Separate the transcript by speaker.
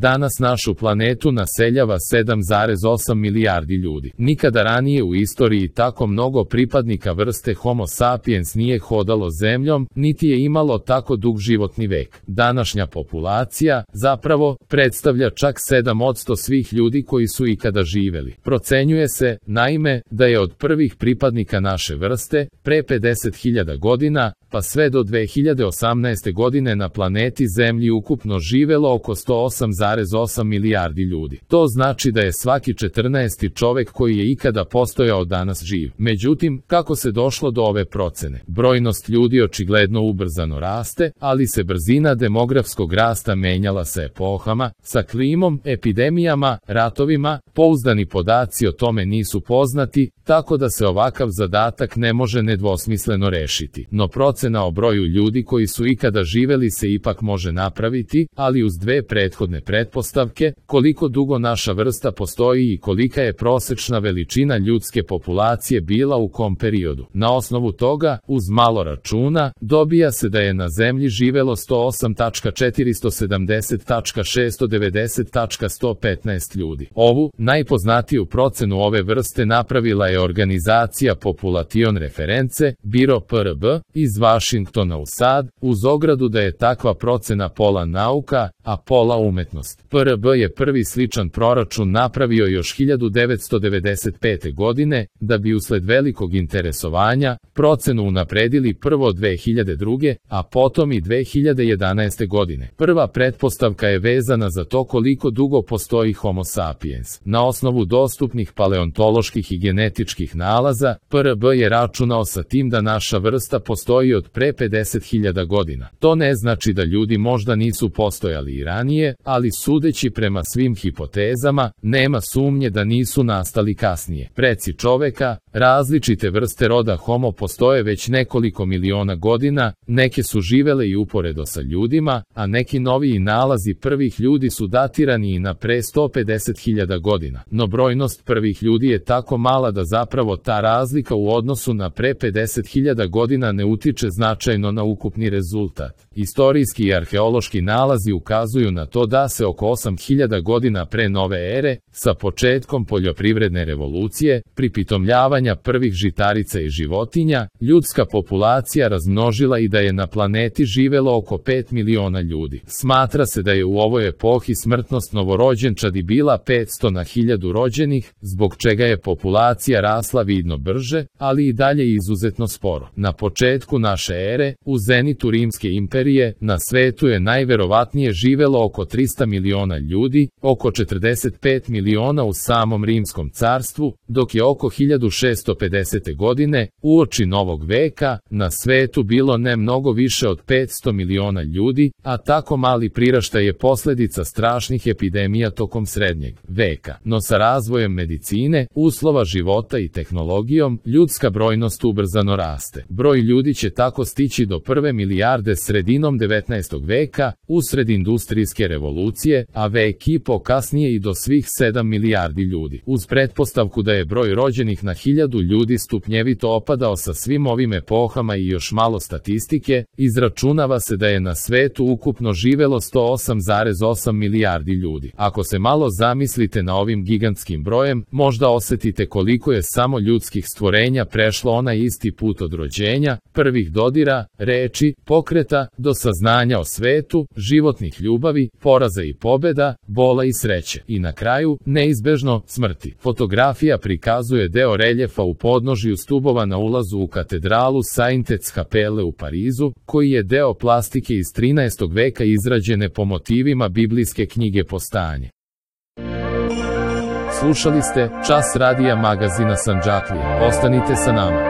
Speaker 1: Danas našu planetu naseljava 7,8 milijardi ljudi. Nikada ranije u istoriji tako mnogo pripadnika vrste Homo sapiens nije hodalo zemljom, niti je imalo tako dug životni vek. Današnja populacija, zapravo, predstavlja čak 7% svih ljudi koji su ikada živeli. Procenjuje se, naime, da je od prvih pripadnika naše vrste, pre 50.000 godina, pa sve do 2018. godine na planeti Zemlji ukupno živelo oko 108,8 milijardi ljudi. To znači da je svaki 14. čovek koji je ikada postojao danas živ. Međutim, kako se došlo do ove procene? Brojnost ljudi očigledno ubrzano raste, ali se brzina demografskog rasta menjala sa epohama, sa klimom, epidemijama, ratovima, pouzdani podaci o tome nisu poznati, tako da se ovakav zadatak ne može nedvosmisleno rešiti. No procena o broju ljudi koji su ikada živeli se ipak može napraviti, ali uz dve prethodne pretpostavke, koliko dugo naša vrsta postoji i kolika je prosečna veličina ljudske populacije bila u kom periodu. Na osnovu toga, uz malo računa, dobija se da je na Zemlji živelo 108.490.690.115 ljudi. Ovu, najpoznatiju procenu ove vrste napravila je organizacija Population Reference, Biro PRB, iz Vašingtona u SAD, uz ogradu da je takva procena pola nauka, a pola umetnost. PRB je prvi sličan proračun napravio još 1995. godine, da bi usled velikog interesovanja, procenu unapredili prvo 2002. a potom i 2011. godine. Prva pretpostavka je vezana za to koliko dugo postoji Homo sapiens. Na osnovu dostupnih paleontoloških i genetičkih nalaza, PRB je računao sa tim da naša vrsta postoji od pre 50.000 godina. To ne znači da ljudi možda nisu postojali i ranije, ali sudeći prema svim hipotezama, nema sumnje da nisu nastali kasnije. Preci čoveka, različite vrste roda Homo postoje već nekoliko miliona godina, neke su živele i uporedo sa ljudima, a neki noviji nalazi prvih ljudi su datirani i na pre 150.000 godina. No brojnost prvih ljudi je tako mala da zapravo ta razlika u odnosu na pre 50.000 godina ne utiče značajno na ukupni rezultat. Istorijski i arheološki nalazi ukazuju na to da se oko 8.000 godina pre nove ere, sa početkom poljoprivredne revolucije, pripitomljavanja prvih žitarica i životinja, ljudska populacija razmnožila i da je na planeti živelo oko 5 miliona ljudi. Smatra se da je u ovoj epohi smrtnost novorođenčadi bila 500 na 1000 rođenih, zbog čega je populacija rasla vidno brže, ali i dalje izuzetno sporo. Na početku naše ere, u zenitu Rimske imperije, na svetu je najverovatnije živelo oko 300 miliona ljudi, oko 45 miliona u samom Rimskom carstvu, dok je oko 1650. godine, uoči novog veka, na svetu bilo ne mnogo više od 500 miliona ljudi, a tako mali priraštaj je posledica strašnih epidemija tokom srednjeg veka. No sa razvojem medicine, uslova života i tehnologijom, ljudska brojnost ubrzano raste. Broj ljudi će tako stići do 1 milijarde sredinom 19. veka, usred industrijske revolucije, a vek i po kasnije i do svih 7 milijardi ljudi. Uz pretpostavku da je broj rođenih na 1000 ljudi stupnjevito opadao sa svim ovim epohama i još malo statistike, izračunava se da je na svetu ukupno živelo 108,8 milijardi ljudi. Ako se malo zamislite na ovim gigantskim brojem, možda osetite koliko je samo ljudskih stvorenja prešlo onaj isti put od rođenja, prvih dodira, reči, pokreta, do saznanja o svetu, životnih ljubavi, poraza i pobeda, bola i sreće. I na kraju, neizbežno, smrti. Fotografija prikazuje deo reljefa u podnožju stubova na ulazu u katedralu Sainte-Capelle u Parizu, koji je deo plastike iz 13. veka izrađene po motivima biblijske knjige Postanje. Slušali ste Čas radija magazina Sandžaklija. Ostanite sa nama.